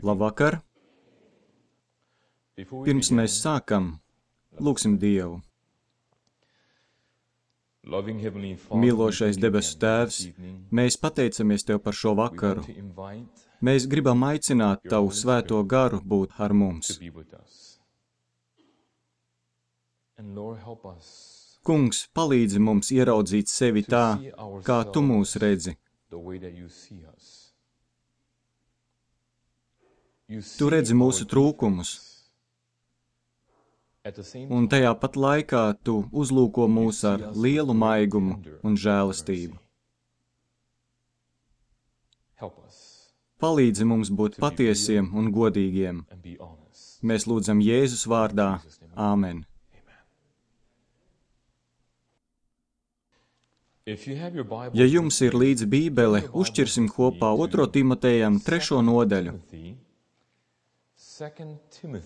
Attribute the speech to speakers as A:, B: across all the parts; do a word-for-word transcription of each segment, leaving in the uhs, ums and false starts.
A: Labvakar! Pirms mēs sākam, lūgsim Dievu. Mīlošais debesu Tēvs, mēs pateicamies Tev par šo vakaru. Mēs gribam aicināt Tavu svēto garu būt ar mums. Kungs, palīdzi mums ieraudzīt sevi tā, kā Tu mūs redzi. Tu redzi mūsu trūkumus, un tajā pat laikā Tu uzlūko mūs ar lielu maigumu un žēlastību. Palīdzi mums būt patiesiem un godīgiem. Mēs lūdzam Jēzus vārdā. Āmen. Ja jums ir līdzi Bībele, uzķirsim kopā otro Timotejam trešo nodaļu.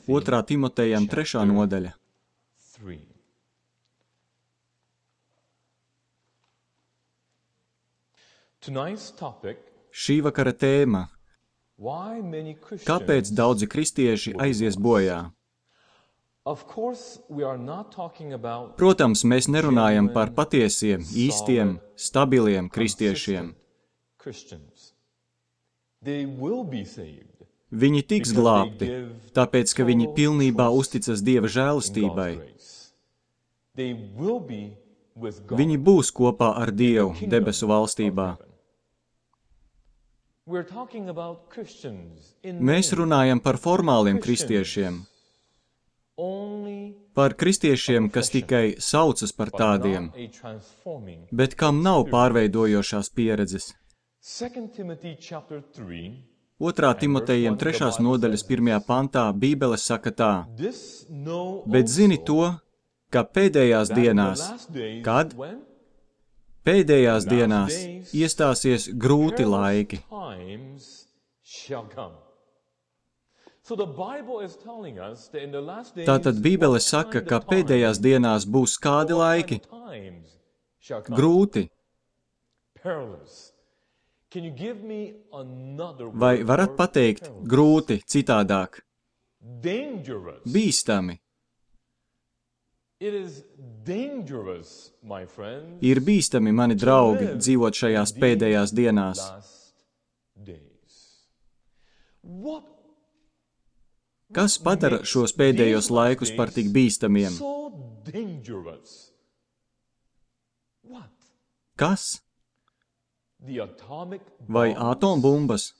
A: otrā Timotejam trešā nodaļa. Šī vakara tēma. Kāpēc daudzi kristieši aizies bojā? Protams, mēs nerunājam par patiesiem, īstiem, stabiliem kristiešiem. Viņi tiks glābti, tāpēc, ka viņi pilnībā uzticas Dieva žēlastībai. Viņi būs kopā ar Dievu debesu valstībā. Mēs runājam par formāliem kristiešiem, par kristiešiem, kas tikai saucas par tādiem, bet kam nav pārveidojošās pieredzes. otrā Timotejam trešās nodaļas pirmajā pantā Bībele saka tā: Bet zini to, ka pēdējās dienās, kad? Pēdējās dienās iestāsies grūti laiki. Tātad Bībele saka, ka pēdējās dienās būs kādi laiki? Grūti. Vai varat pateikt grūti citādāk? Bīstami. Ir bīstami, mani draugi, dzīvot šajās pēdējās dienās. Kas padara šos pēdējos laikus par tik bīstamiem? Kas? Vai atombumbas?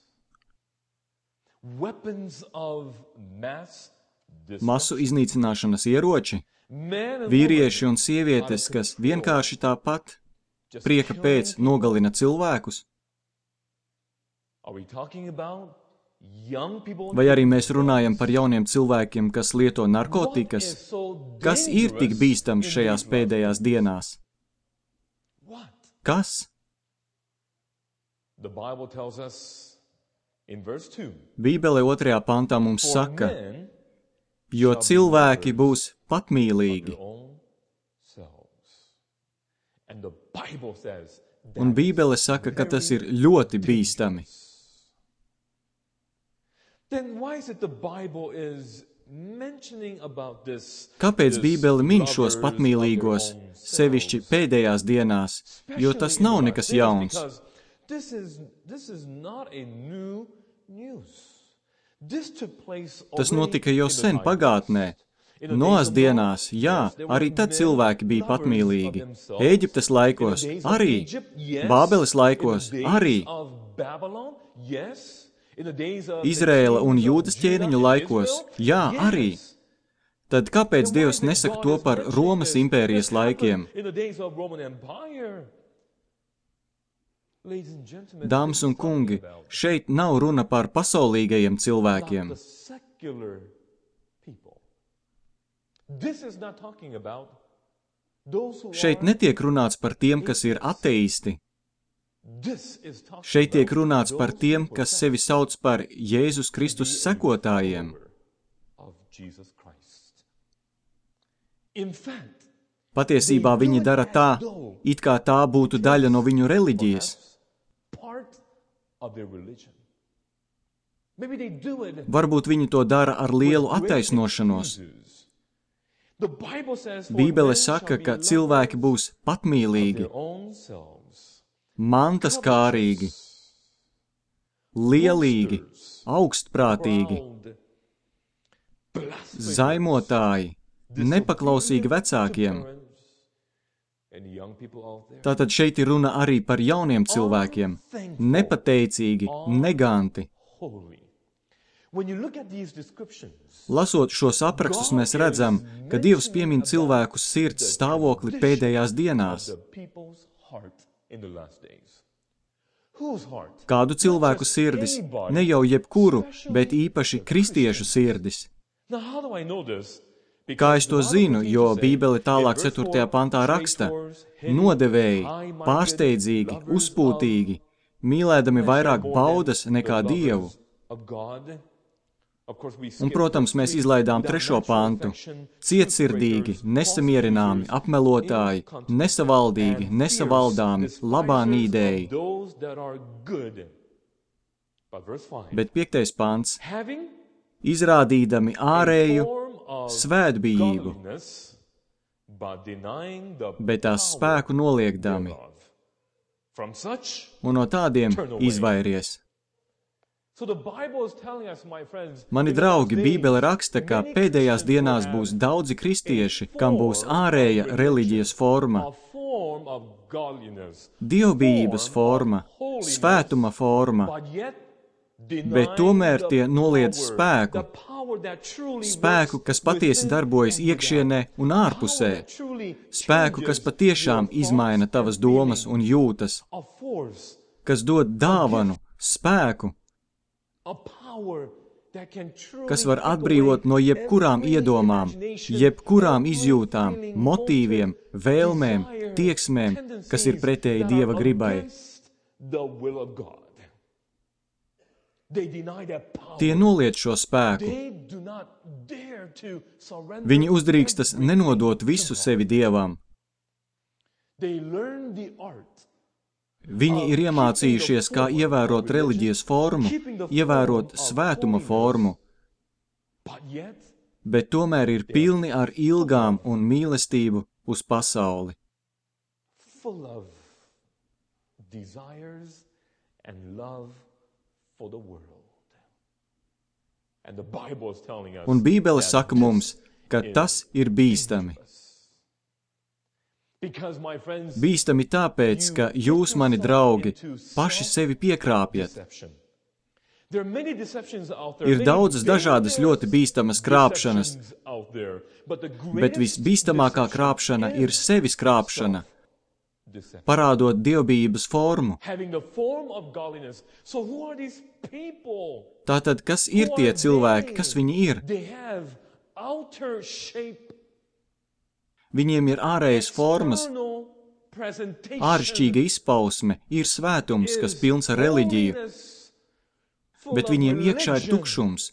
A: Masu iznīcināšanas ieroči? Vīrieši un sievietes, kas vienkārši tāpat prieka pēc nogalina cilvēkus? Vai arī mēs runājam par jauniem cilvēkiem, kas lieto narkotikas? Kas ir tik bīstams šajās pēdējās dienās? Kas? Bībele otrajā pantā mums saka, jo cilvēki būs patmīlīgi. Un Bībele saka, ka tas ir ļoti bīstami. Kāpēc Bībele min šos patmīlīgos, sevišķi pēdējās dienās, jo tas nav nekas jauns? Tas notika jau sen pagātnē. Noas dienās, jā, arī tad cilvēki bija patmīlīgi. Ēģiptes laikos arī, Bābeles laikos arī, Izraēla un Jūdas ķēniņu laikos, jā, arī. Tad kāpēc Dievs nesaka to par Romas impērijas laikiem? Dāmas un kungi, šeit nav runa par pasaulīgajiem cilvēkiem. Šeit netiek runāts par tiem, kas ir ateisti. Šeit tiek runāts par tiem, kas sevi sauc par Jēzus Kristus sekotājiem. Patiesībā viņi dara tā, it kā tā būtu daļa no viņu reliģijas. Varbūt viņi to dara ar lielu attaisnošanos. Bībele saka, ka cilvēki būs patmīlīgi, mantaskārīgi, lielīgi, augstprātīgi, zaimotāji, nepaklausīgi vecākiem. Tātad šeit ir runa arī par jauniem cilvēkiem, nepateicīgi, neganti. Lasot šos aprakstus, mēs redzam, ka Dievs piemin cilvēku sirds stāvokli pēdējās dienās. Kādu cilvēku sirdis? Ne jau jebkuru, bet īpaši kristiešu sirdis. Kā es to zinu, jo Bībele tālāk ceturtajā pantā raksta: nodevēji, pārsteidzīgi, uzpūtīgi, mīlēdami vairāk baudas nekā Dievu. Un, protams, mēs izlaidām trešo pantu. Cietsirdīgi, nesamierināmi, apmelotāji, nesavaldīgi, nesavaldāmi, labā nīdēji. Bet piektais pants. Izrādīdami ārēju svētbijību, bet tās spēku noliekdami. Un no tādiem izvairies. Mani draugi, Bībele raksta, ka pēdējās dienās būs daudzi kristieši, kam būs ārēja reliģijas forma, dievbijības forma, svētuma forma, bet tomēr tie noliedz spēku, spēku, kas patiesi darbojas iekšienē un ārpusē, spēku, kas patiešām izmaina tavas domas un jūtas, kas dod dāvanu, spēku, kas var atbrīvot no jebkurām iedomām, jebkurām izjūtām, motīviem, vēlmēm, tieksmēm, kas ir pretēji Dieva gribai. Tie noliedz šo spēku. Viņi uzdrīkstas nenodot visu sevi Dievam. Viņi ir iemācījušies, kā ievērot reliģijas formu, ievērot svētuma formu, bet tomēr ir pilni ar ilgām un mīlestību uz pasauli. Un Bībele saka mums, ka tas ir bīstami. Bīstami tāpēc, ka jūs, mani draugi, paši sevi piekrāpjat. Ir daudzas dažādas ļoti bīstamas krāpšanas, bet visbīstamākā krāpšana ir sevis krāpšana, parādot dievbijības formu. Tātad, kas ir tie cilvēki, kas viņi ir? Viņiem ir ārējas formas, āršķīga izpausme, ir svētums, kas pilns ar reliģiju, bet viņiem iekšā ir tukšums.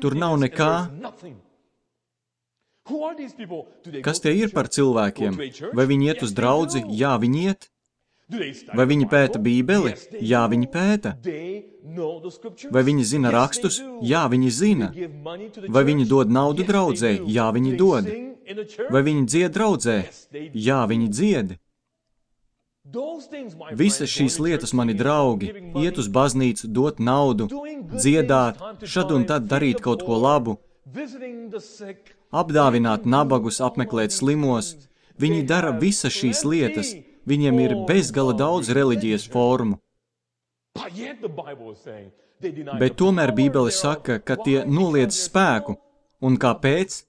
A: Tur nav nekā. Kas tie ir par cilvēkiem? Vai viņi iet uz draudzi? Jā, viņi iet. Vai viņi pēta Bībeli? Jā, viņi pēta. Vai viņi zina rakstus? Jā, viņi zina. Vai viņi dod naudu draudzē? Jā, viņi dod. Vai viņi dzied draudzē? Jā, viņi dzied. Visas šīs lietas, mani draugi, iet uz baznīcu, dot naudu, dziedāt, šad un tad darīt kaut ko labu, apdāvināt nabagus, apmeklēt slimos. Viņi dara visas šīs lietas. Viņiem ir bezgala daudz reliģijas formu. Bet tomēr Bībele saka, ka tie noliedz spēku. Un kāpēc?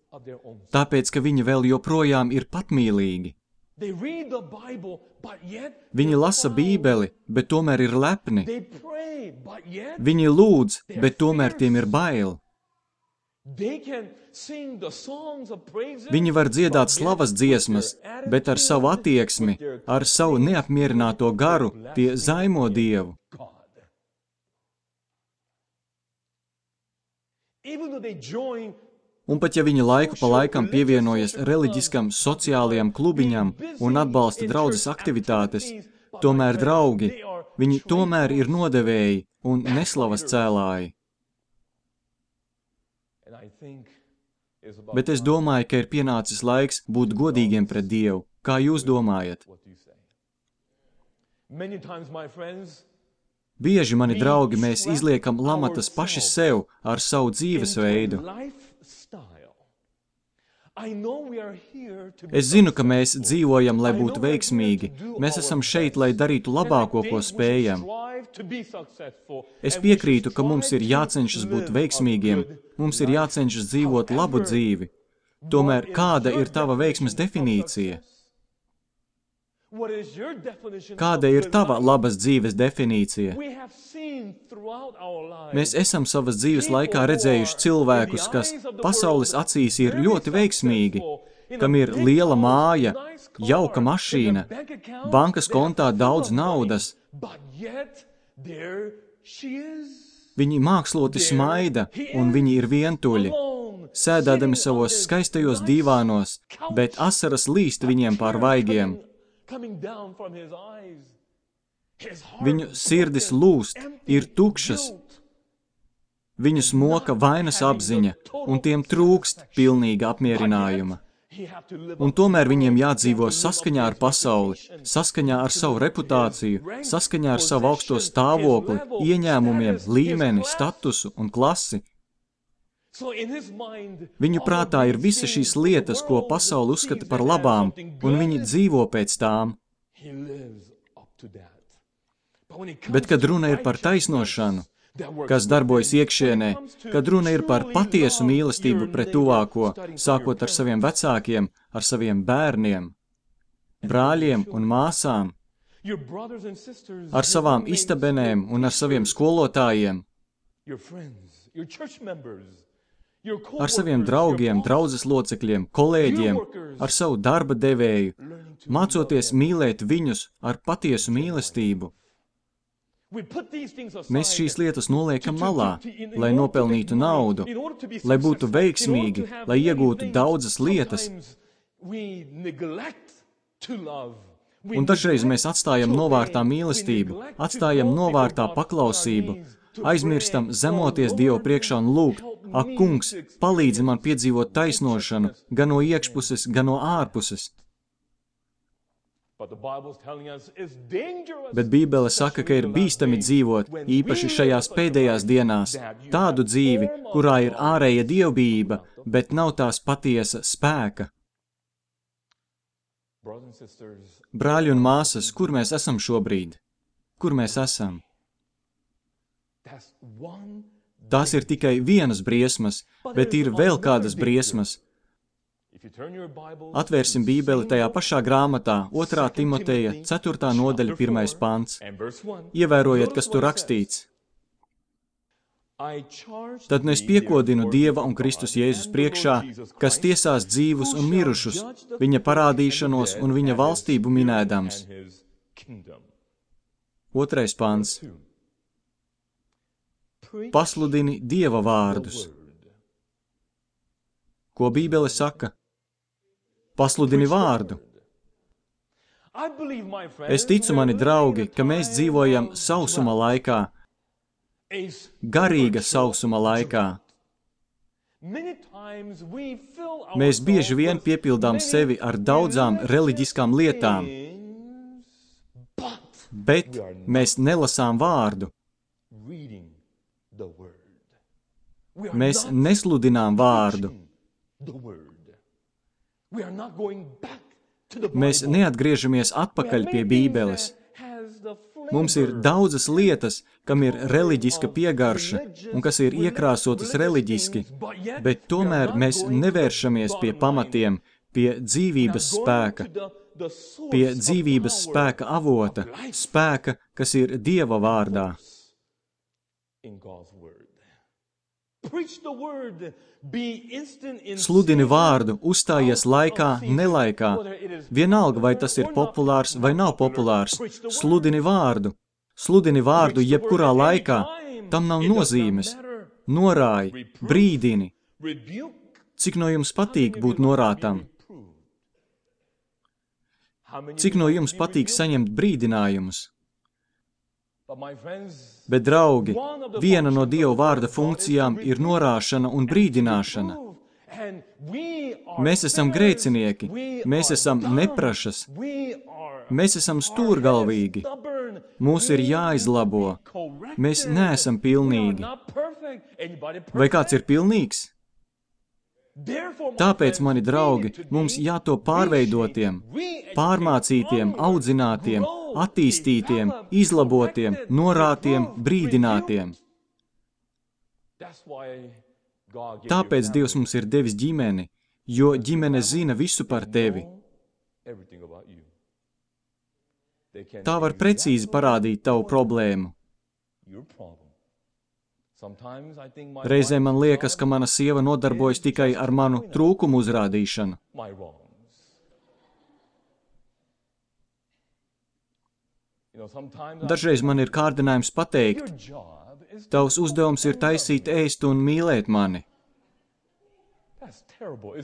A: Tāpēc, ka viņi vēl joprojām ir patmīlīgi. Viņi lasa Bībeli, bet tomēr ir lepni. Viņi lūdz, bet tomēr tiem ir bail. Viņi var dziedāt slavas dziesmas, bet ar savu attieksmi, ar savu neapmierināto garu, tie zaimo Dievu. Un pat ja viņi laiku pa laikam pievienojas reliģiskam sociālajam klubiņam un atbalsta draudzes aktivitātes, tomēr, draugi, Viņi tomēr ir nodevēji un neslavas cēlāji. Bet es domāju, ka ir pienācis laiks būt godīgiem pret Dievu. Kā jūs domājat? Bieži, mani draugi, mēs izliekam lamatas paši sev ar savu dzīvesveidu. Es zinu, ka mēs dzīvojam, lai būtu veiksmīgi. Mēs esam šeit, lai darītu labāko, ko spējam. Es piekrītu, ka mums ir jācenšas būt veiksmīgiem, mums ir jācenšas dzīvot labu dzīvi. Tomēr kāda ir tava veiksmes definīcija? Kāda ir tava labas dzīves definīcija? Mēs esam savas dzīves laikā redzējuši cilvēkus, kas pasaules acīs ir ļoti veiksmīgi, kam ir liela māja, jauka mašīna, bankas kontā daudz naudas. Viņi māksloti smaida, un viņi ir vientuļi, sēdādami savos skaistajos dīvānos, bet asaras līst viņiem pār vaigiem. Viņu sirdis lūst, ir tukšas. Viņus moka vainas apziņa, un tiem trūkst pilnīga apmierinājuma. Un tomēr viņiem jādzīvo saskaņā ar pasauli, saskaņā ar savu reputāciju, saskaņā ar savu augsto stāvokli, ieņēmumiem, līmeni, statusu un klasi. Viņu prātā ir visa šīs lietas, ko pasauli uzskata par labām, un viņi dzīvo pēc tām. Bet, kad runa ir par taisnošanu, kas darbojas iekšienē, kad runa ir par patiesu mīlestību pret tuvāko, sākot ar saviem vecākiem, ar saviem bērniem, brāļiem un māsām, ar savām istabenēm un ar saviem skolotājiem, ar saviem draugiem, draudzes locekļiem, kolēģiem, ar savu darba devēju, mācoties mīlēt viņus ar patiesu mīlestību. Mēs šīs lietas noliekam malā, lai nopelnītu naudu, lai būtu veiksmīgi, lai iegūtu daudzas lietas. Un dažreiz mēs atstājam novārtā mīlestību, atstājam novārtā paklausību, aizmirstam zemoties Dievu priekšā un lūgt: ak, kungs, palīdzi man piedzīvot taisnošanu, gan no iekšpuses, gan no ārpuses. Bet Bībele saka, ka ir bīstami dzīvot, īpaši šajās pēdējās dienās, tādu dzīvi, kurā ir ārēja dievbijība, bet nav tās patiesa spēka. Brāļi un māsas, kur mēs esam šobrīd? Kur mēs esam? Tās ir tikai vienas briesmas, bet ir vēl kādas briesmas. Atvērsim Bībeli tajā pašā grāmatā, otrā Timoteja, ceturtā nodaļa, pirmais pants. Ievērojiet, kas tur rakstīts. Tad nu es piekodinu Dieva un Kristus Jēzus priekšā, kas tiesās dzīvus un mirušus, viņa parādīšanos un viņa valstību minēdams. Otrais pants. Pasludini Dieva vārdus. Ko Bībele saka? Pasludini vārdu. Es ticu, mani draugi, ka mēs dzīvojam sausuma laikā, garīga sausuma laikā. Mēs bieži vien piepildām sevi ar daudzām reliģiskām lietām, bet mēs nelasām vārdu. Mēs nesludinām vārdu. Mēs neatgriežamies atpakaļ pie Bībeles. Mums ir daudzas lietas, kam ir reliģiska piegarša un kas ir iekrāsotas reliģiski, bet tomēr mēs nevēršamies pie pamatiem, pie dzīvības spēka, pie dzīvības spēka avota, spēka, kas ir Dieva vārdā. Sludini vārdu, uzstājies laikā, nelaikā. Vienalga, vai tas ir populārs vai nav populārs. Sludini vārdu. Sludini vārdu jebkurā laikā. Tam nav nozīmes. Norāj, brīdini. Cik no jums patīk būt norātam? Cik no jums patīk saņemt brīdinājumus? Bet, draugi, viena no Dieva vārda funkcijām ir norāšana un brīdināšana. Mēs esam grēcinieki, mēs esam neprašas, mēs esam stūrgalvīgi, mūs ir jāizlabo, mēs neesam pilnīgi. Vai kāds ir pilnīgs? Tāpēc, mani draugi, mums jātop pārveidotiem, pārmācītiem, audzinātiem, attīstītiem, izlabotiem, norātiem, brīdinātiem. Tāpēc Dievs mums ir devis ģimeni, jo ģimene zina visu par tevi. Tā var precīzi parādīt tavu problēmu. Reizēm man liekas, ka mana sieva nodarbojas tikai ar manu trūkumu uzrādīšanu. Dažreiz man ir kārdinājums pateikt, tavs uzdevums ir taisīt ēst un mīlēt mani.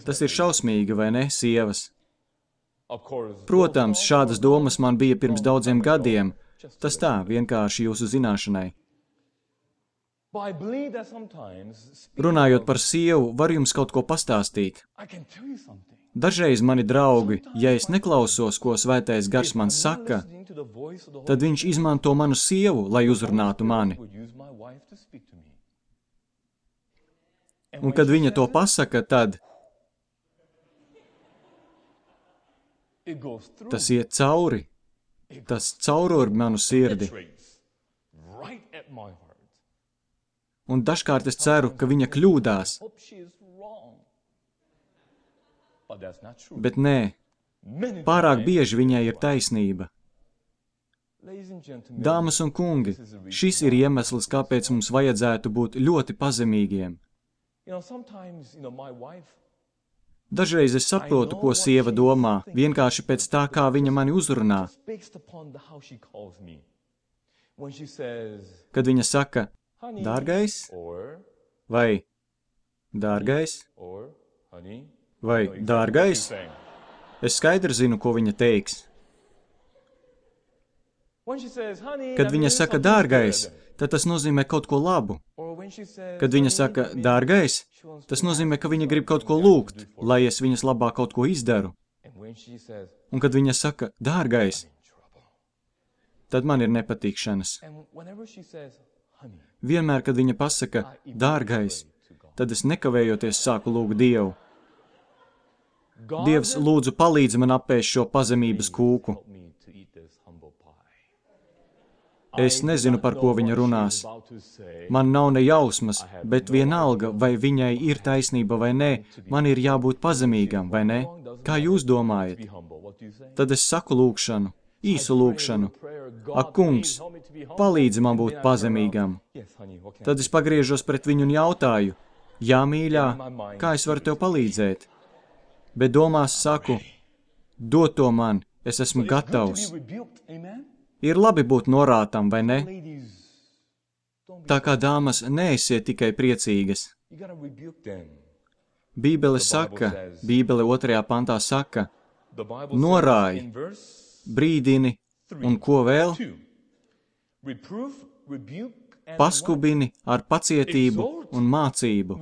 A: Tas ir šausmīgi, vai ne, sievas? Protams, šādas domas man bija pirms daudziem gadiem. Tas tā, vienkārši jūsu zināšanai. Runājot par sievu, var jums kaut ko pastāstīt. Dažreiz, mani draugi, ja es neklausos, ko svētais gars man saka, tad viņš izmanto manu sievu, lai uzrunātu mani. Un kad viņa to pasaka, tad tas iet cauri, tas caurur manu sirdi. Un dažkārt es ceru, ka viņa kļūdās. Bet nē, pārāk bieži viņai ir taisnība. Dāmas un kungi, šis ir iemesls, kāpēc mums vajadzētu būt ļoti pazemīgiem. Dažreiz es saprotu, ko sieva domā, vienkārši pēc tā, kā viņa mani uzrunā. Kad viņa saka, dārgais, vai dārgais, vai dārgais, es skaidri zinu, ko viņa teiks. Kad viņa saka dārgais, tad tas nozīmē kaut ko labu. Kad viņa saka dārgais, tas nozīmē, ka viņa grib kaut ko lūgt, lai es viņas labā kaut ko izdaru. Un kad viņa saka dārgais, tad man ir nepatikšanas. Vienmēr, kad viņa pasaka dārgais, tad es nekavējoties sāku lūgt Dievu. Dievs, lūdzu, palīdzi man apēst šo pazemības kūku. Es nezinu, par ko viņa runās. Man nav ne jausmas, bet vienalga, vai viņai ir taisnība vai nē, man ir jābūt pazemīgam, vai ne? Kā jūs domājat? Tad es saku lūgšanu, īsu lūgšanu. Ak, kungs, palīdzi man būt pazemīgam. Tad es pagriežos pret viņu un jautāju, jā, mīļā, kā es varu tev palīdzēt? Bet domās saku, dod to man, es esmu gatavs. Ir labi būt norātam, vai ne? Tā kā dāmas, neesiet tikai priecīgas. Bībele saka, Bībele otrajā pantā saka, norāj, brīdini un ko vēl? Paskubini ar pacietību un mācību.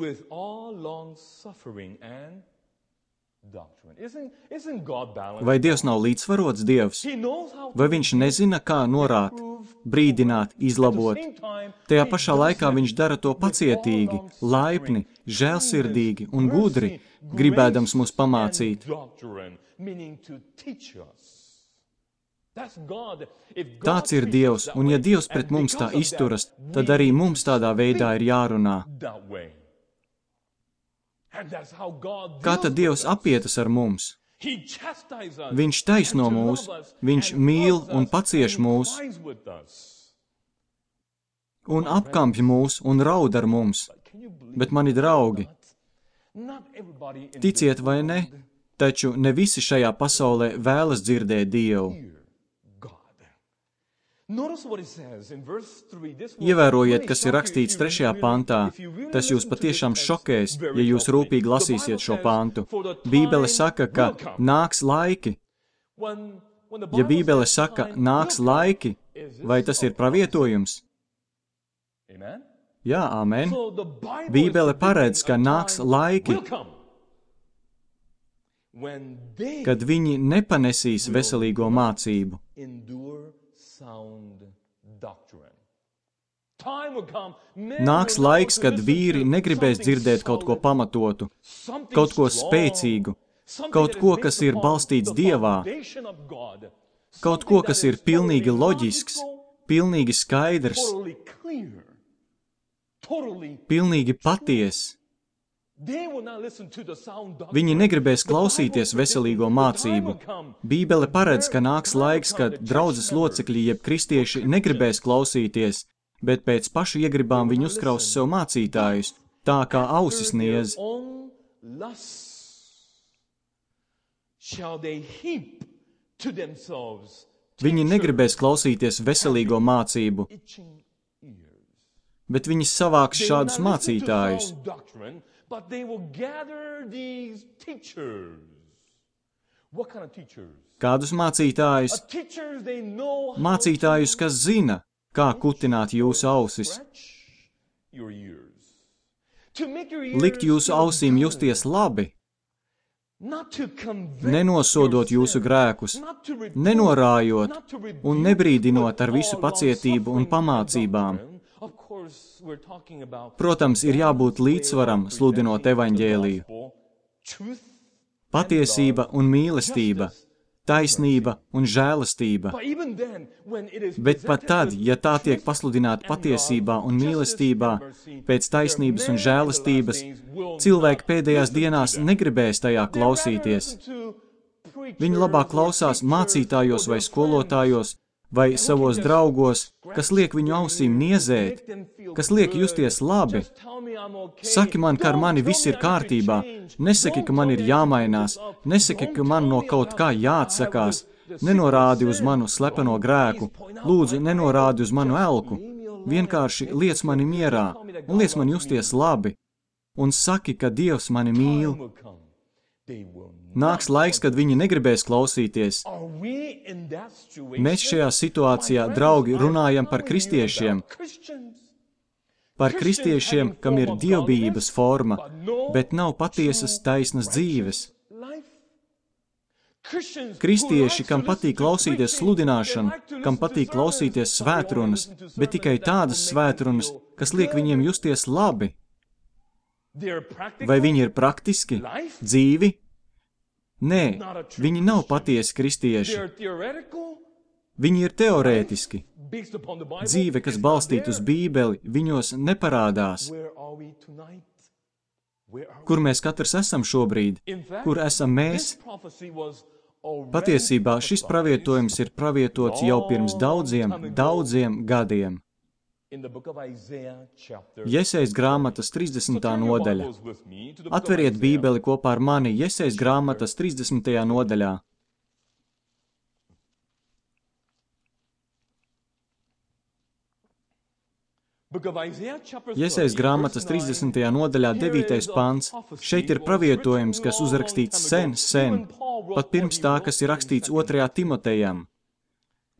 A: Vai Dievs nav līdzsvarots Dievs? Vai viņš nezina, kā norāt, brīdināt, izlabot? Tajā pašā laikā viņš dara to pacietīgi, laipni, žēlsirdīgi un gudri, gribēdams mūs pamācīt. Tāds ir Dievs, un ja Dievs pret mums tā izturas, tad arī mums tādā veidā ir jārunā. Kā tad Dievs apietas ar mums? Viņš taisno mūs, viņš mīl un pacieš mūs, un apkampj mūs un raud ar mums. Bet, mani draugi, ticiet vai ne, taču ne visi šajā pasaulē vēlas dzirdēt Dievu. Ievērojiet, kas ir rakstīts trešajā pantā. Tas jūs patiešām šokēs, ja jūs rūpīgi lasīsiet šo pantu. Bībele saka, ka nāks laiki. Ja Bībele saka, nāks laiki, Vai tas ir pravietojums? Jā, amen. Bībele paredz, ka nāks laiki, kad viņi nepanesīs veselīgo mācību. Nāks laiks, kad vīri negribēs dzirdēt kaut ko pamatotu, kaut ko spēcīgu, kaut ko, kas ir balstīts Dievā, kaut ko, kas ir pilnīgi loģisks, pilnīgi skaidrs, pilnīgi patiess. Viņi negribēs klausīties veselīgo mācību. Bībele paredz, ka nāks laiks, kad draudzes locekļi jeb kristieši negribēs klausīties, bet pēc pašu iegribām viņi uzkraus sev mācītājus, tā kā ausis niez. Viņi negribēs klausīties veselīgo mācību, bet viņi savāks šādus mācītājus. Kādus mācītājus? Mācītājus, kas zina, kā kutināt jūsu ausis. Likt jūsu ausīm justies labi, nenosodot jūsu grēkus, nenorājot un nebrīdinot ar visu pacietību un pamācībām. Protams, ir jābūt līdzsvaram, sludinot evaņģēliju. Patiesība un mīlestība, taisnība un žēlastība. Bet pat tad, ja tā tiek pasludināta patiesībā un mīlestībā, pēc taisnības un žēlastības, cilvēki pēdējās dienās negribēs tajā klausīties. Viņi labāk klausās mācītājos vai skolotājos, vai savos draugos, kas liek viņu ausīm niezēt, kas liek justies labi. Saki man, ka ar mani viss ir kārtībā, nesaki, ka man ir jāmainās, nesaki, ka man no kaut kā jāatsakās, nenorādi uz manu slepeno grēku, lūdzu, nenorādi uz manu elku, vienkārši liec mani mierā un liec man justies labi, un saki, ka Dievs mani mīl. Nāks laiks, kad viņi negribēs klausīties. Mēs šajā situācijā, draugi, runājam par kristiešiem. Par kristiešiem, kam ir dievbijības forma, bet nav patiesas taisnas dzīves. Kristieši, kam patīk klausīties sludināšanu, kam patīk klausīties svētrunas, bet tikai tādas svētrunas, kas liek viņiem justies labi. Vai viņi ir praktiski, dzīvi? Nē, viņi nav patiesi kristieši. Viņi ir teorētiski. Dzīve, kas balstīta uz Bībeli, viņos neparādās. Kur mēs katrs esam šobrīd? Kur esam mēs? Patiesībā šis pravietojums ir pravietots jau pirms daudziem, daudziem gadiem. Jesejas grāmatas trīsdesmitā nodaļa. Atveriet Bībeli kopā ar mani Jesejas grāmatas trīsdesmitajā nodaļā. Jesejas grāmatas trīsdesmitajā nodaļā devītais pants. Šeit ir pravietojums, kas uzrakstīts sen, sen, pat pirms tā, kas ir rakstīts otrajā Timotejam.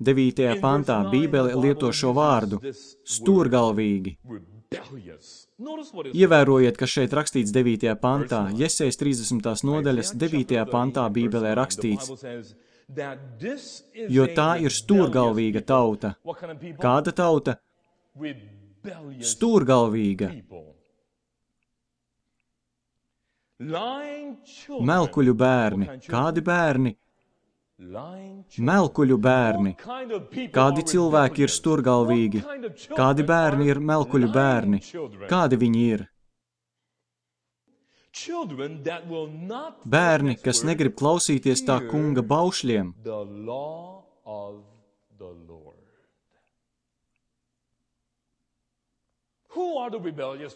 A: devītajā pantā Bībele lieto šo vārdu – stūrgalvīgi. Ievērojiet, ka šeit rakstīts devītajā pantā, Jesejas trīsdesmitās nodaļas devītajā pantā Bībelē rakstīts, jo tā ir stūrgalvīga tauta. Kāda tauta? Stūrgalvīga. Melkuļu bērni. Kādi bērni? Melkuļu bērni. Kādi cilvēki ir stūrgalvīgi? Kādi bērni ir melkuļu bērni? Kādi viņi ir? Bērni, kas negrib klausīties tā kunga baušļiem.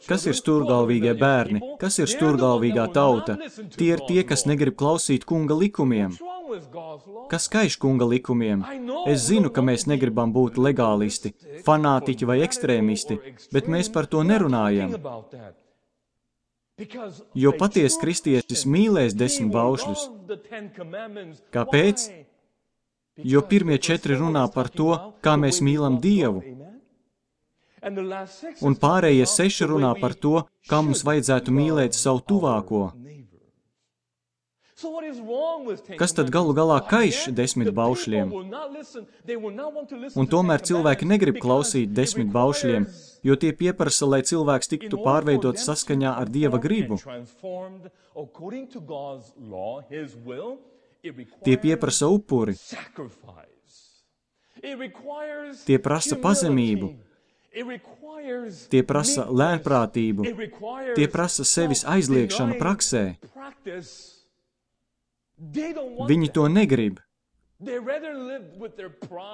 A: Kas ir stūrgalvīgie bērni? Kas ir stūrgalvīgā tauta? Tie ir tie, kas negrib klausīt kunga likumiem. Kas kaiš kunga likumiem? Es zinu, ka mēs negribam būt legālisti, fanātiķi vai ekstrēmisti, bet mēs par to nerunājam. Jo patiesi kristietis mīlēs desmit baušļus. Kāpēc? jo pirmie četri runā par to, kā mēs mīlam Dievu, un pārējie seši runā par to, kā mums vajadzētu mīlēt savu tuvāko. Kas tad galu galā kaiš desmit baušļiem? Un tomēr cilvēki negrib klausīt desmit baušļiem, jo tie pieprasa, lai cilvēks tiktu pārveidot saskaņā ar Dieva gribu. Tie pieprasa upuri. Tie prasa pazemību. Tie prasa lēnprātību. Tie prasa sevis aizliekšanu praksē. Viņi to negrib.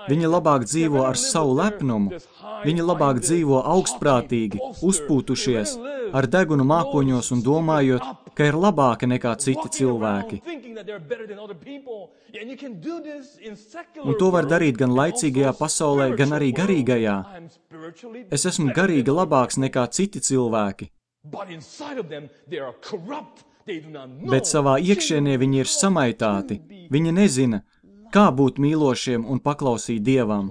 A: Viņi labāk dzīvo ar savu lepnumu. Viņi labāk dzīvo augstprātīgi, uzpūtušies, ar degunu mākoņos un domājot, ka ir labāki nekā citi cilvēki. Un to var darīt gan laicīgajā pasaulē, gan arī garīgajā. Es esmu garīgi labāks nekā citi cilvēki. Bet savā iekšienē viņi ir samaitāti. Viņi nezina, kā būt mīlošiem un paklausīt Dievam.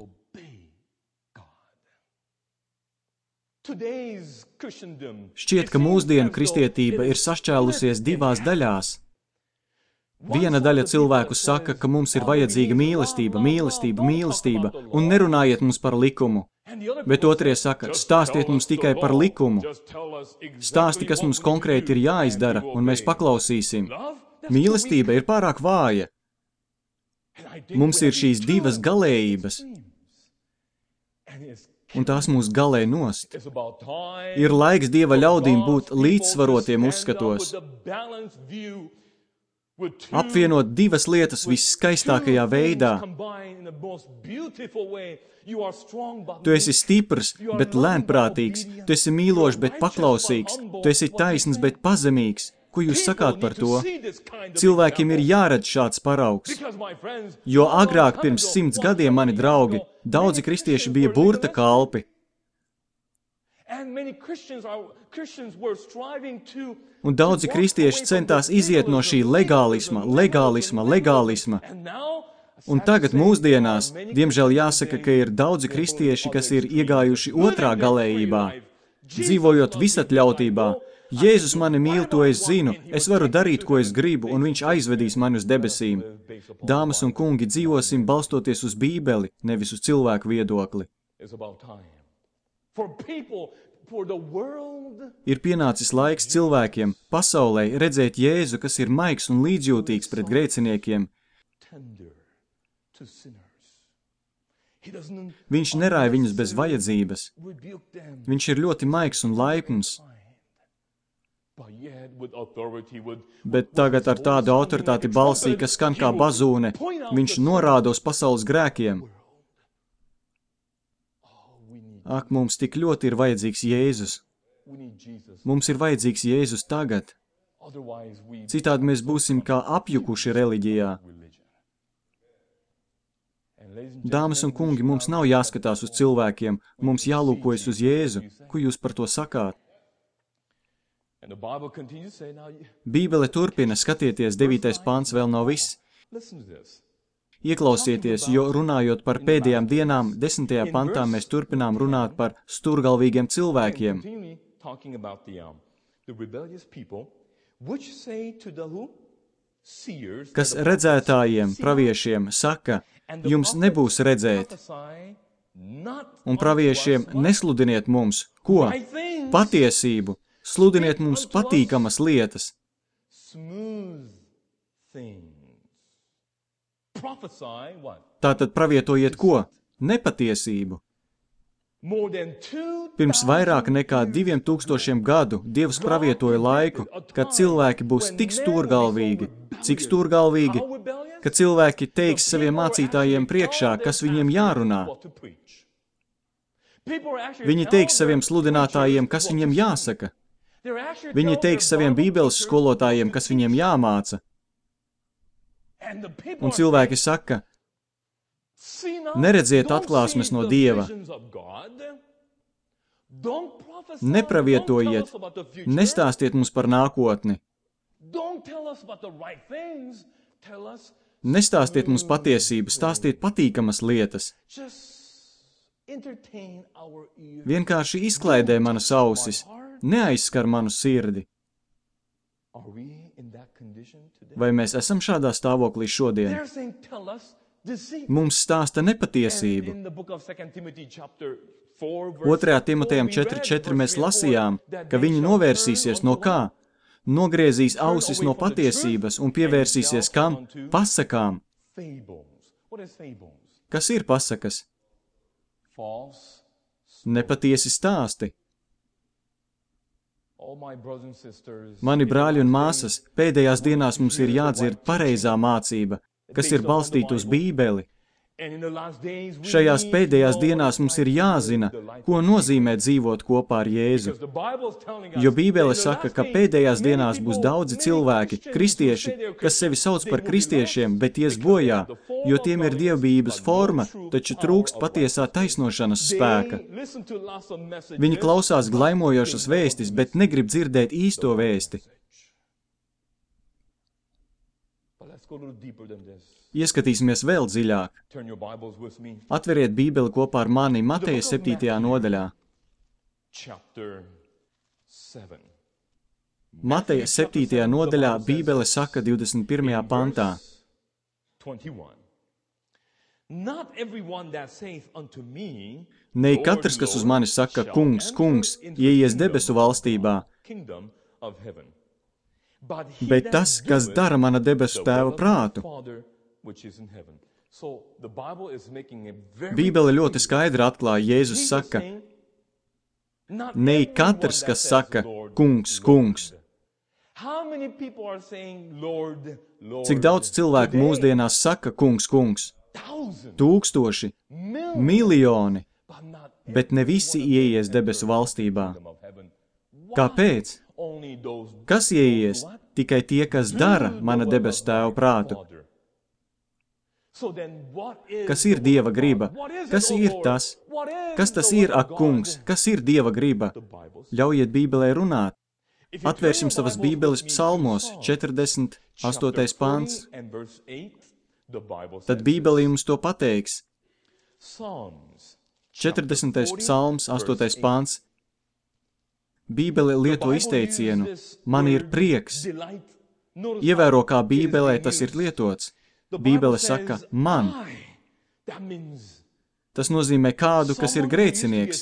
A: Šķiet, ka mūsdienu kristietība ir sašķēlusies divās daļās. Viena daļa cilvēku saka, ka mums ir vajadzīga mīlestība, mīlestība, mīlestība, un nerunājiet mums par likumu. Bet otrie saka, stāstiet mums tikai par likumu. Stāsti, kas mums konkrēti ir jāizdara, un mēs paklausīsim. Mīlestība ir pārāk vāja. Mums ir šīs divas galējības, un tās mūs galē nost. Ir laiks Dieva ļaudīm būt līdzsvarotiem uzskatos. Apvienot divas lietas visskaistākajā veidā. Tu esi stiprs, bet lēnprātīgs. Tu esi mīlošs, bet paklausīgs. Tu esi taisns, bet pazemīgs. Ko jūs sakāt par to? Cilvēkiem ir jāredz šāds paraugs. Jo agrāk pirms simts gadiem mani draugi, daudzi kristieši bija burta kalpi. Un daudzi kristieši centās iziet no šī legālisma, legālisma, legālisma. Un tagad mūsdienās, diemžēl jāsaka, ka ir daudzi kristieši, kas ir iegājuši otrā galējībā, dzīvojot visatļautībā. Jēzus mani mīl, to es zinu, es varu darīt, ko es gribu, un viņš aizvedīs mani uz debesīm. Dāmas un kungi, dzīvosim balstoties uz Bībeli, nevis uz cilvēku viedokli. Ir pienācis laiks cilvēkiem, pasaulē, redzēt Jēzu, kas ir maigs un līdzjūtīgs pret grēciniekiem. Viņš nerāja viņus bez vajadzības. Viņš ir ļoti maigs un laipns. Bet tagad ar tādu autoritāti balsī, kas skan kā bazūne, viņš norāda uz pasaules grēkiem. Ak, mums tik ļoti ir vajadzīgs Jēzus. Mums ir vajadzīgs Jēzus tagad. Citādi mēs būsim kā apjukuši reliģijā. Dāmas un kungi, mums nav jāskatās uz cilvēkiem, mums jālūkojas uz Jēzu. Ko jūs par to sakāt? Bībele turpina, skatieties, devītais pāns vēl nav viss. Ieklausieties, jo runājot par pēdējām dienām, desmitajā pantā mēs turpinām runāt par sturgalvīgiem cilvēkiem, kas redzētājiem, praviešiem, saka, jums nebūs redzēt, un praviešiem nesludiniet mums, ko? Patiesību, sludiniet mums patīkamas lietas. Tātad pravietojiet ko? Nepatiesību. Pirms vairāk nekā diviem tūkstošiem gadu Dievs pravietoja laiku, kad cilvēki būs tik stūrgalvīgi, cik stūrgalvīgi, ka cilvēki teiks saviem mācītājiem priekšā, kas viņiem jārunā. Viņi teiks saviem sludinātājiem, kas viņiem jāsaka. Viņi teiks saviem bībeles skolotājiem, kas viņiem jāmāca. Un cilvēki saka, neredziet atklāsmes no Dieva, nepravietojiet, nestāstiet mums par nākotni, Nestāstiet mums patiesību, stāstiet patīkamas lietas. Vienkārši izklaidē manas ausis, neaizskar manu sirdi. Vai mēs esam šādā stāvoklī šodien? Mums stāsta nepatiesību. Otrajā Timotejam četri četri mēs lasījām, ka viņi novērsīsies no kā? Nogriezīs ausis no patiesības un pievērsīsies kam? Pasakām. Kas ir pasakas? Nepatiesi stāsti. Mani brāļi un māsas, pēdējās dienās mums ir jādzird pareizā mācība, kas ir balstīta uz Bībeli. Šajās pēdējās dienās mums ir jāzina, ko nozīmē dzīvot kopā ar Jēzu. Jo Bībele saka, ka pēdējās dienās būs daudzi cilvēki, kristieši, kas sevi sauc par kristiešiem, bet ies bojā, jo tiem ir dievbijības forma, taču trūkst patiesā taisnošanas spēka. Viņi klausās glaimojošas vēstis, bet negrib dzirdēt īsto vēsti. Ieskatīsimies vēl dziļāk. Atveriet Bībeli kopā ar mani Mateja septītajā nodaļā. Mateja septītajā nodaļā Bībele saka divdesmit pirmajā pantā. Ne katrs, kas uz mani saka, kungs, kungs, ieies debesu valstībā, bet tas, kas dara mana debesu tēva prātu. Bībele ļoti skaidri atklāja, Jēzus saka, ne katrs, kas saka, kungs, kungs. Cik daudz cilvēku mūsdienās saka, kungs, kungs? Tūkstoši, miljoni, bet ne visi ieies debesu valstībā. Kāpēc? Kas ieies? Tikai tie, kas dara mana debesu tēva prātu. Kas ir Dieva griba? Kas ir tas? Kas tas ir, ak, kungs? Kas ir Dieva griba? Ļaujiet Bībelē runāt. Atvērsim savas Bībeles psalmos, četrdesmit astotais pants. Tad Bībele jums to pateiks. četrdesmitais psalms, astotais pants. Bībele lieto izteicienu, man ir prieks. Ievēro, kā Bībelē tas ir lietots. Bībele saka, man. Tas nozīmē kādu, kas ir grēcinieks.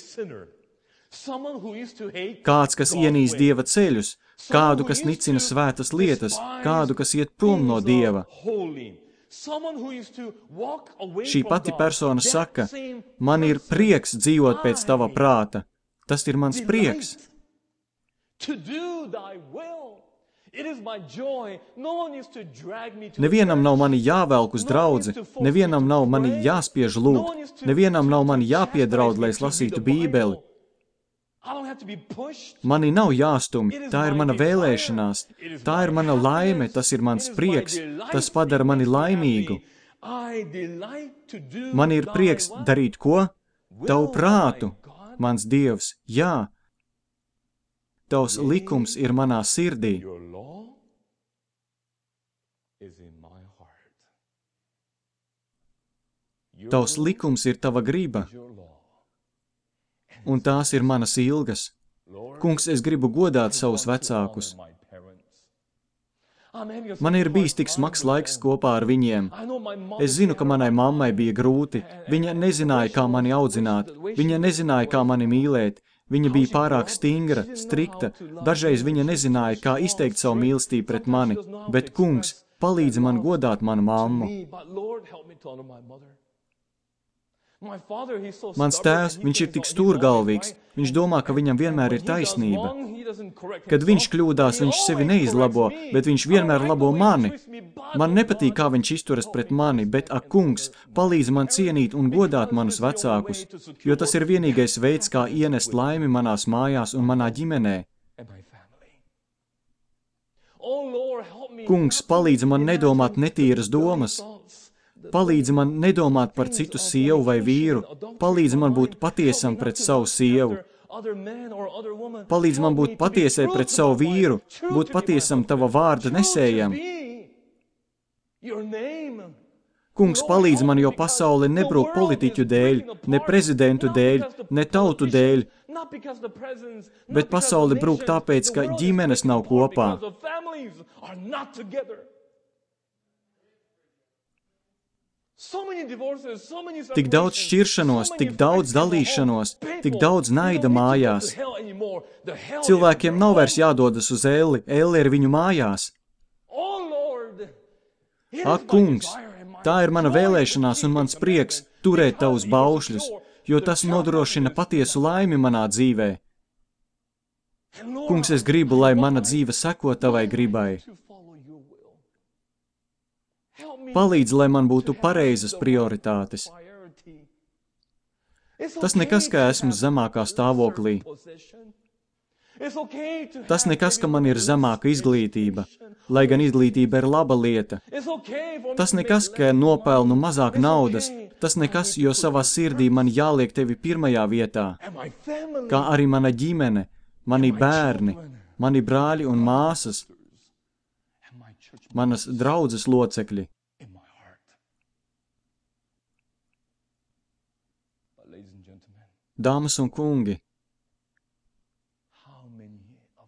A: Kāds, kas ienīst Dieva ceļus, kādu, kas nicina svētas lietas, kādu, kas iet prom no Dieva. Šī pati persona saka, man ir prieks dzīvot pēc tava prāta. Tas ir mans prieks. Nevienam nav mani jāvelk uz draudzi, nevienam nav mani jāspiež lūgt, nevienam nav mani jāpiedraud, lai es lasītu Bībeli. Mani nav jāstumj, tā ir mana vēlēšanās, tā ir mana laime, tas ir mans prieks, tas padara mani laimīgu. Man ir prieks darīt ko? Tavu prātu, mans Dievs, jā. Tavs likums ir manā sirdī. Tavs likums ir tava griba, un tās ir manas ilgas. Kungs, es gribu godāt savus vecākus. Man ir bijis tik smags laiks kopā ar viņiem. Es zinu, ka manai mammai bija grūti. Viņa nezināja, kā mani audzināt. Viņa nezināja, kā mani mīlēt. Viņa bija pārāk stingra, strikta. Dažreiz viņa nezināja, kā izteikt savu mīlestību pret mani. Bet, kungs, palīdzi man godāt manu mammu. Mans tēvs, viņš ir tik stūrgalvīgs, viņš domā, ka viņam vienmēr ir taisnība. Kad viņš kļūdās, viņš sevi neizlabo, bet viņš vienmēr labo mani. Man nepatīk, kā viņš izturas pret mani, bet, ak, kungs, palīdz man cienīt un godāt manus vecākus, jo tas ir vienīgais veids, kā ienest laimi manās mājās un manā ģimenē. Kungs, palīdz man nedomāt netīras domas. Palīdzi man nedomāt par citu sievu vai vīru. Palīdzi man būt patiesam pret savu sievu. Palīdzi man būt patiesai pret savu vīru, būt patiesam tava vārda nesējam. Kungs, palīdz man, jo pasaule nebrūk politiķu dēļ, ne prezidentu dēļ, ne tautu dēļ, bet pasaule brūk tāpēc, ka ģimenes nav kopā. Tik daudz šķiršanos, tik daudz dalīšanos, tik daudz naida mājās. Cilvēkiem nav vairs jādodas uz Elli, Elli ir viņu mājās. Ak, kungs, tā ir mana vēlēšanās un mans prieks turēt tavus baušļus, jo tas nodrošina patiesu laimi manā dzīvē. Kungs, es gribu, lai mana dzīve seko tavai gribai. Palīdz, lai man būtu pareizas prioritātes. Tas nekas, ka esmu zemākā stāvoklī. Tas nekas, ka man ir zemāka izglītība, lai gan izglītība ir laba lieta. Tas nekas, ka nopelnu mazāk naudas. Tas nekas, jo savā sirdī man jāliek tevi pirmajā vietā. Kā arī mana ģimene, mani bērni, mani brāļi un māsas, manas draudzes locekļi. Dāmas un kungi,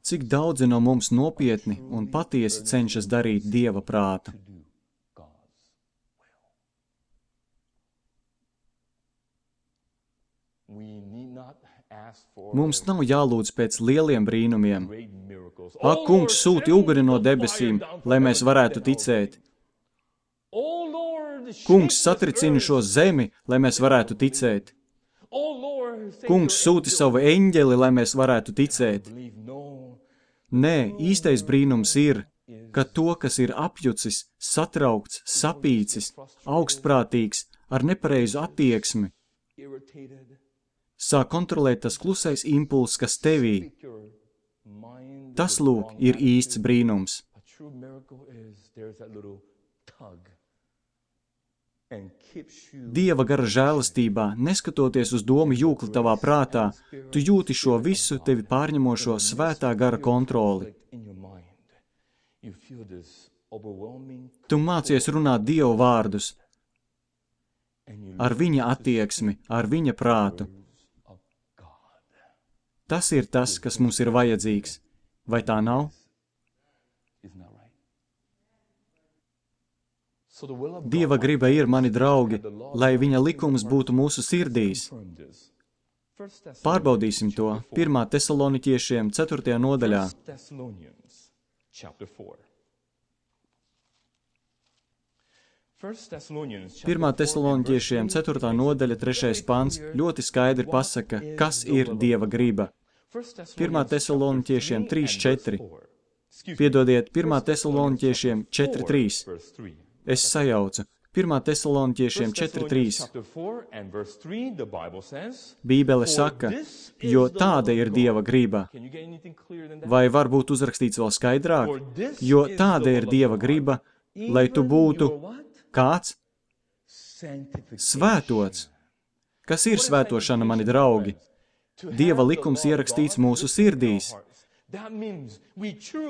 A: cik daudzi no mums nopietni un patiesi cenšas darīt Dieva prātu? Mums nav jālūdz pēc lieliem brīnumiem. Ak, kungs, sūti uguni no debesīm, lai mēs varētu ticēt. Kungs, satricini šo zemi, lai mēs varētu ticēt. Kungs, sūti savu eņģeli, lai mēs varētu ticēt. Nē, īstais brīnums ir, ka to, kas ir apjucis, satraukts, sapīcis, augstprātīgs, ar nepareizu attieksmi, sāk kontrolēt tas klusais impulss, kas tevī. Tas, lūk, ir īsts brīnums. Dieva gara žēlastībā, neskatoties uz domu jūkli tavā prātā, tu jūti šo visu tevi pārņemošo svētā gara kontroli. Tu mācies runāt Dievu vārdus ar viņa attieksmi, ar viņa prātu. Tas ir tas, kas mums ir vajadzīgs. Vai tā nav? Dieva griba ir, mani draugi, lai viņa likums būtu mūsu sirdīs. Pārbaudīsim to pirmā Tesaloniķiešiem ceturtajā nodaļā. Pirmā Tesaloniķiešiem ceturtā nodaļa trešais pants ļoti skaidri pasaka, kas ir Dieva griba. Pirmā Tesaloniķiešiem trīs četri. Piedodiet, pirmā Tesaloniķiešiem četri trīs. Es sajaucu. Pirmā Tesaloniķiešiem četri trīs. Bībele saka, jo tāda ir Dieva griba. Vai var būt uzrakstīts vēl skaidrāk? Jo tāda ir Dieva griba, lai tu būtu kāds? Svētots. Kas ir svētošana, mani draugi? Dieva likums ierakstīts mūsu sirdīs.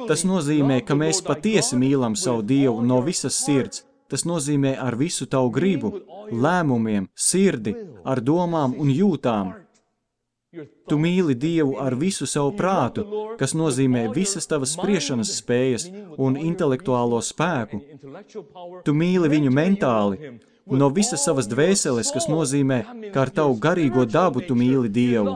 A: Tas nozīmē, ka mēs patiesi mīlam savu Dievu no visas sirds. Tas nozīmē ar visu tavu gribu, lēmumiem, sirdi, ar domām un jūtām. Tu mīli Dievu ar visu savu prātu, kas nozīmē visas tavas spriešanas spējas un intelektuālo spēku. Tu mīli viņu mentāli, no visas savas dvēseles, kas nozīmē, ka ar tavu garīgo dabu tu mīli Dievu.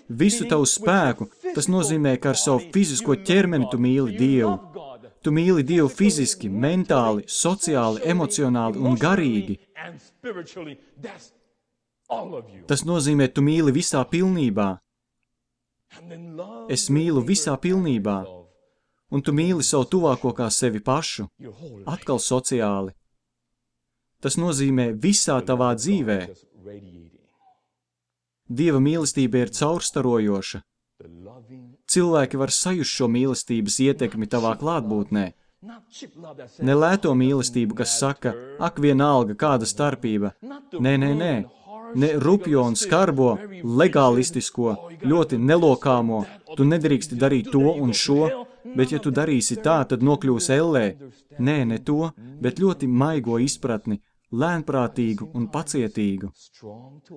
A: Visu tavu spēku, tas nozīmē, ka ar savu fizisko ķermeni tu mīli Dievu. Tu mīli Dievu fiziski, mentāli, sociāli, emocionāli un garīgi. Tas nozīmē, tu mīli visā pilnībā. Es mīlu visā pilnībā. Un tu mīli savu tuvāko kā sevi pašu. Atkal sociāli. Tas nozīmē visā tavā dzīvē. Dieva mīlestība ir caurstarojoša. Cilvēki var sajust šo mīlestības ietekmi tavā klātbūtnē. Ne lēto mīlestību, kas saka, ak vienalga, kāda starpība. Nē, nē, nē. Ne rupjo un skarbo, legālistisko, ļoti nelokāmo. Tu nedrīksti darīt to un šo. bet ja tu darīsi tā, tad nokļūsi ellē. Nē, ne to, bet ļoti maigo izpratni, lēnprātīgu un pacietīgu,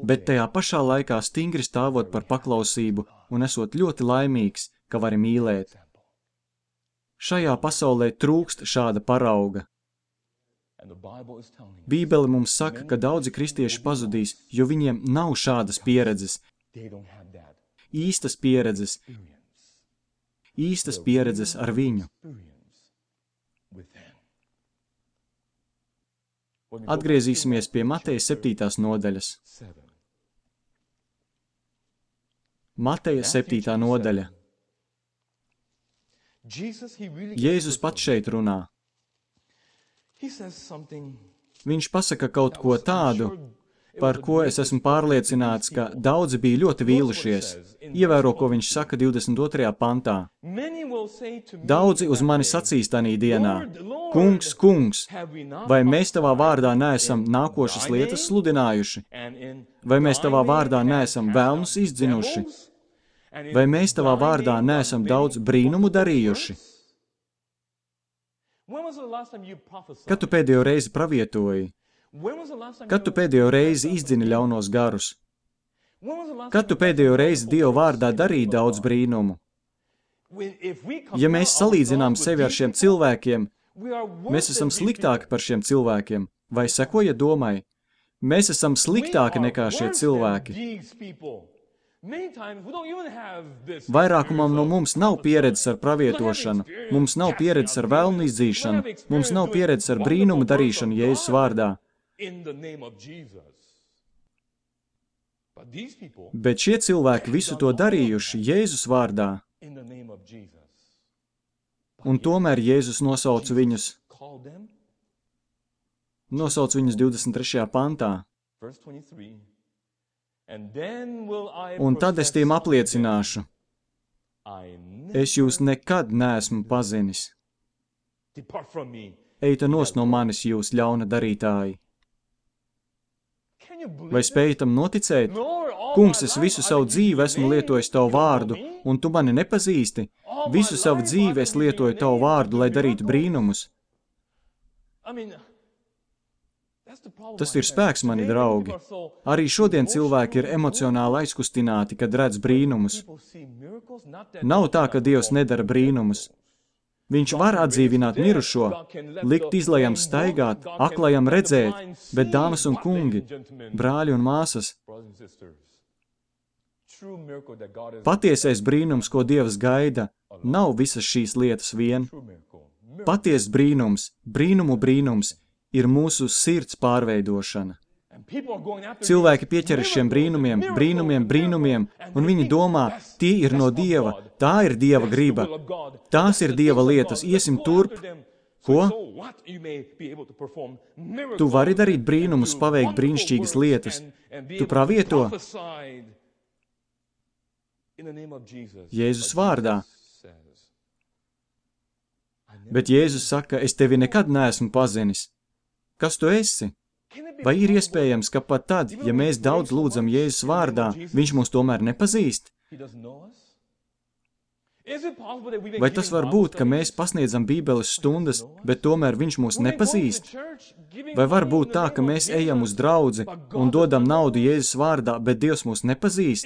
A: bet tajā pašā laikā stingri stāvot par paklausību un esot ļoti laimīgs, ka vari mīlēt. Šajā pasaulē trūkst šāda parauga. Bībele mums saka, ka daudzi kristieši pazudīs, jo viņiem nav šādas pieredzes, īstas pieredzes, īstas pieredzes ar viņu. Atgriezīsimies pie Mateja septītās nodaļas. Mateja septītā nodaļa. Jēzus pats šeit runā. Viņš pasaka kaut ko tādu, par ko es esmu pārliecināts, ka daudzi bija ļoti vīlušies. Ievēro, ko viņš saka divdesmit otrajā pantā. Daudzi uz mani sacīs tanī dienā: Kungs, kungs, vai mēs tavā vārdā neesam nākošas lietas sludinājuši? Vai mēs tavā vārdā neesam velnus izdzinuši? Vai mēs tavā vārdā neesam daudz brīnumu darījuši? Kad tu pēdējo reizi pravietoji? Kad tu pēdējo reizi izdzini ļaunos garus? Kad tu pēdējo reizi Dieva vārdā darīji daudz brīnumu? Ja mēs salīdzinām sevi ar šiem cilvēkiem, mēs esam sliktāki par šiem cilvēkiem. Vai sekoja domai? Mēs esam sliktāki nekā šie cilvēki. Vairākumam no mums nav pieredzes ar pravietošanu, mums nav pieredzes ar velnu izdzīšanu, mums nav pieredzes ar brīnumu darīšanu Jēzus vārdā. Bet šie cilvēki visu to darījuši Jēzus vārdā. Un tomēr Jēzus nosauc viņus, nosauc viņus divdesmit trešajā pantā. Un tad es tiem apliecināšu, es jūs nekad neesmu pazinis. Eita nos no manis, jūs ļauna darītāji. Vai spēj tam noticēt? Kungs, es visu savu dzīvi esmu lietojis tavu vārdu, un tu mani nepazīsti. Visu savu dzīvi es lietoju tavu vārdu, lai darītu brīnumus. Tas ir spēks, mani draugi. Arī šodien cilvēki ir emocionāli aizkustināti, kad redz brīnumus. Nav tā, ka Dievs nedara brīnumus. Viņš var atdzīvināt mirušo, likt izlajam staigāt, aklajam redzēt, bet dāmas un kungi, brāļi un māsas, patiesais brīnums, ko Dievs gaida, nav visas šīs lietas vien. Paties brīnums, brīnumu brīnums, ir mūsu sirds pārveidošana. Cilvēki pieķeras šiem brīnumiem, brīnumiem, brīnumiem, un viņi domā, tie ir no Dieva, tā ir Dieva griba, tās ir Dieva lietas, iesim turp. Ko? Tu vari darīt brīnumus, paveikt brīnišķīgas lietas. Tu pravieto Jēzus vārdā. Bet Jēzus saka, es tevi nekad neesmu pazinis. Kas tu esi? Vai ir iespējams, ka pat tad, ja mēs daudz lūdzam Jēzus vārdā, viņš mūs tomēr nepazīst? Vai tas var būt, ka mēs pasniedzam Bībeles stundas, bet tomēr viņš mūs nepazīst? Vai var būt tā, ka mēs ejam uz draudzi un dodam naudu Jēzus vārdā, bet Dievs mūs nepazīst?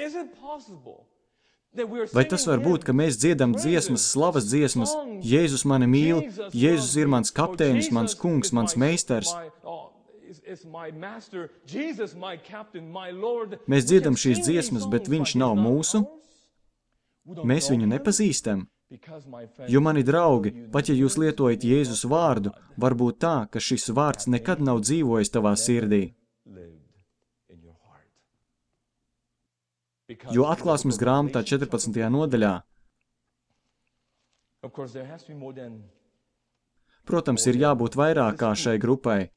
A: Vai tas var būt, ka mēs dziedam dziesmas, slavas dziesmas, Jēzus mani mīl, Jēzus ir mans kapteinis, mans kungs, mans meistars? Mēs dziedam šīs dziesmas, bet viņš nav mūsu? Mēs viņu nepazīstam? Jo, mani draugi, pat ja jūs lietojat Jēzus vārdu, var būt tā, ka šis vārds nekad nav dzīvojis tavā sirdī. Jo Atklāsmes grāmatā četrpadsmitajā nodaļā, protams, ir jābūt vairāk kā šai grupai.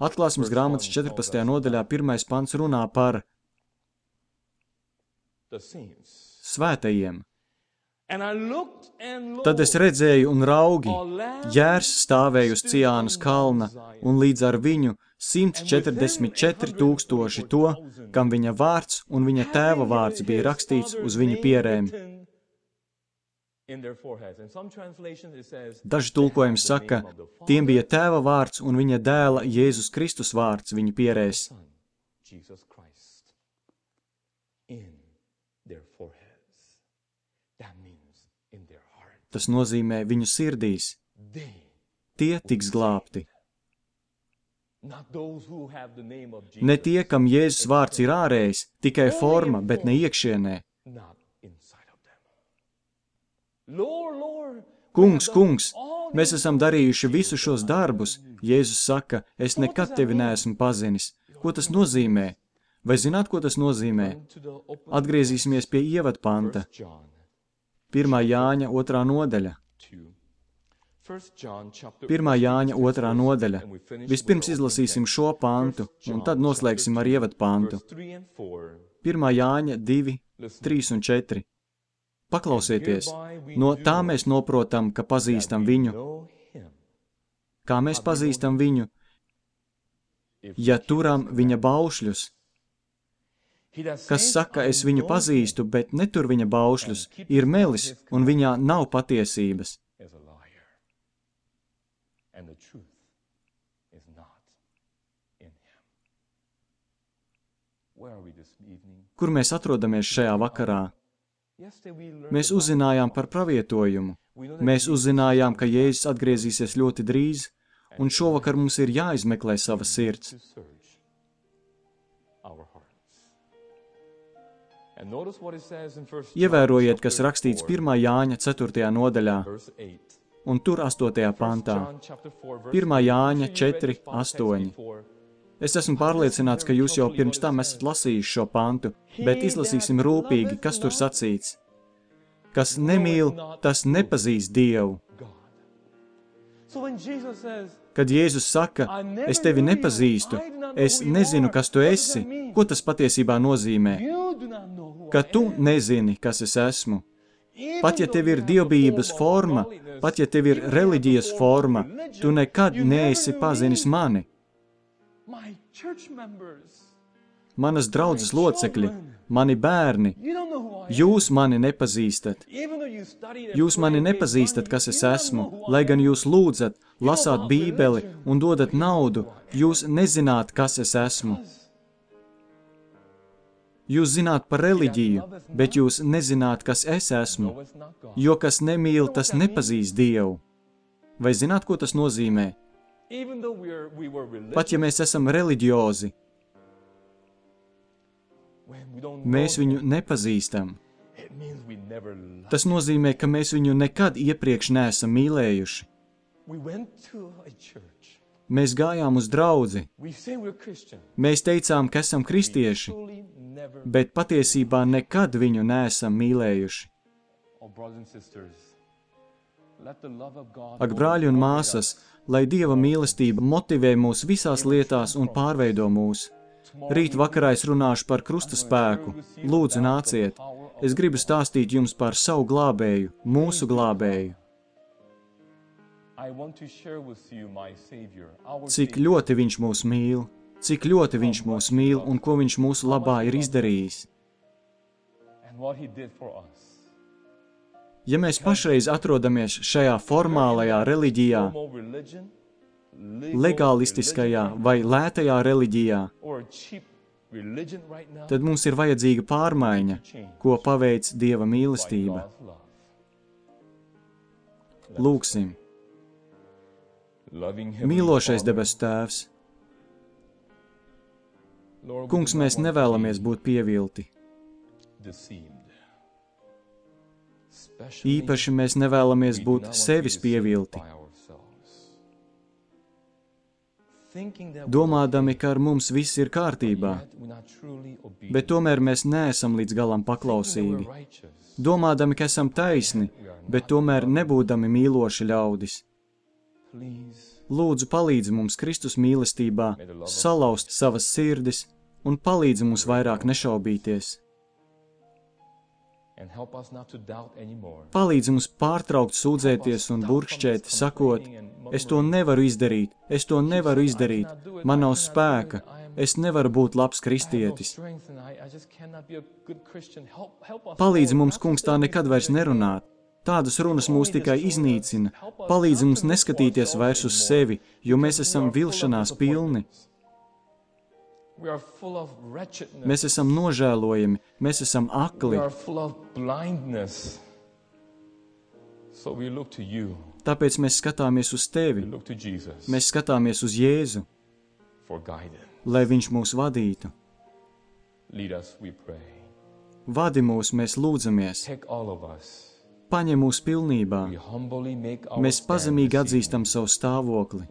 A: Atklāsmes grāmatas četrpadsmitajā nodaļā pirmais pants runā par svētajiem. Tad es redzēju un raugi, jērs stāvēja uz Ciānas kalna, un līdz ar viņu simts četrdesmit četri tūkstoši to, kam viņa vārds un viņa tēva vārds bija rakstīts uz viņu pierēm. Daži tulkojumi saka, tiem bija tēva vārds un viņa dēla Jēzus Kristus vārds viņu pierēs. Tas nozīmē viņu sirdīs. Tie tiks glābti. Ne tie, kam Jēzus vārds ir ārējs, tikai forma, bet ne iekšienē. Kungs, kungs, mēs esam darījuši visu šos darbus. Jēzus saka, es nekad tevi neesmu pazinis. Ko tas nozīmē? Vai zināt, ko tas nozīmē? Atgriezīsimies pie ievadpanta. Pirmā Jāņa otrā nodaļa. Pirmā Jāņa otrā nodaļa. Vispirms izlasīsim šo pantu, un tad noslēgsim ar ievadpantu. Pirmā Jāņa divi, trīs un četri. Paklausieties, no tā mēs noprotam, ka pazīstam viņu. Kā mēs pazīstam viņu? Ja turam viņa baušļus. Kas saka, es viņu pazīstu, bet netur viņa baušļus, ir melis, un viņā nav patiesības. Kur mēs atrodamies šajā vakarā? Mēs uzzinājām par pravietojumu. Mēs uzzinājām, ka Jēzus atgriezīsies ļoti drīz, un šovakar mums ir jāizmeklē sava sirds. Ievērojiet, kas rakstīts pirmā Jāņa ceturtajā nodaļā, un tur astotajā pantā. pirmā Jāņa četri, astoņi. Es esmu pārliecināts, ka jūs jau pirms tam esat lasījuši šo pantu, bet izlasīsim rūpīgi, kas tur sacīts. Kas nemīl, tas nepazīst Dievu. Kad Jēzus saka, es tevi nepazīstu, es nezinu, kas tu esi, ko tas patiesībā nozīmē? Ka tu nezini, kas es esmu. Pat ja tev ir dievbijības forma, pat ja tev ir reliģijas forma, tu nekad neesi pazinis mani. Manas draudzes locekļi, mani bērni, jūs mani nepazīstat. Jūs mani nepazīstat, kas es esmu, lai gan jūs lūdzat, lasāt Bībeli un dodat naudu, jūs nezināt, kas es esmu. Jūs zināt par reliģiju, bet jūs nezināt, kas es esmu, jo kas nemīl, tas nepazīst Dievu. Vai zināt, ko tas nozīmē? Pat ja mēs esam reliģiozi, mēs viņu nepazīstam. Tas nozīmē, ka mēs viņu nekad iepriekš neesam mīlējuši. Mēs gājām uz draudzi. Mēs teicām, ka esam kristieši, bet patiesībā nekad viņu neesam mīlējuši. Ak, brāļi un māsas, lai Dieva mīlestība motivē mūs visās lietās un pārveido mūs. Rīt vakarā es runāšu par krusta spēku. Lūdzu, nāciet. Es gribu stāstīt jums par savu glābēju, mūsu glābēju. Cik ļoti viņš mūs mīl, cik ļoti viņš mūs mīl un ko viņš mūsu labā ir izdarījis. Ja mēs pašreiz atrodamies šajā formālajā reliģijā, legalistiskajā vai lētajā reliģijā, tad mums ir vajadzīga pārmaiņa, ko paveic Dieva mīlestība. Lūksim. Mīlošais debesu Tēvs, Kungs, mēs nevēlamies būt pievilti. Īpaši mēs nevēlamies būt sevis pievilti. Domādami, ka ar mums viss ir kārtībā, bet tomēr mēs neesam līdz galam paklausīgi. Domādami, ka esam taisni, bet tomēr nebūdami mīloši ļaudis. Lūdzu, palīdzi mums Kristus mīlestībā salauzt savas sirdis un palīdzi mums vairāk nešaubīties. Palīdzi mums pārtraukt sūdzēties un burkšķēt, sakot, es to nevaru izdarīt, es to nevaru izdarīt, man nav spēka, Es nevaru būt labs kristietis. Palīdzi mums, kungs, tā nekad vairs nerunāt. Tādas runas mūs tikai iznīcina. Palīdzi mums neskatīties vairs uz sevi, jo mēs esam vilšanās pilni. Mēs esam nožēlojami, mēs esam akli. Tāpēc mēs skatāmies uz tevi. Mēs skatāmies uz Jēzu, lai viņš mūs vadītu. Vadi mūs, mēs lūdzamies. Paņem mūs pilnībā. Mēs pazemīgi atzīstam savu stāvokli.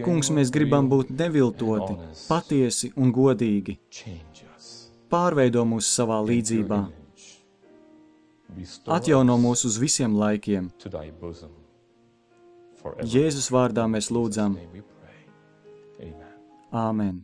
A: Kungs, mēs gribam būt neviltoti, patiesi un godīgi. Pārveido mūs savā līdzībā. Atjauno mūs uz visiem laikiem. Jēzus vārdā mēs lūdzam. Āmen.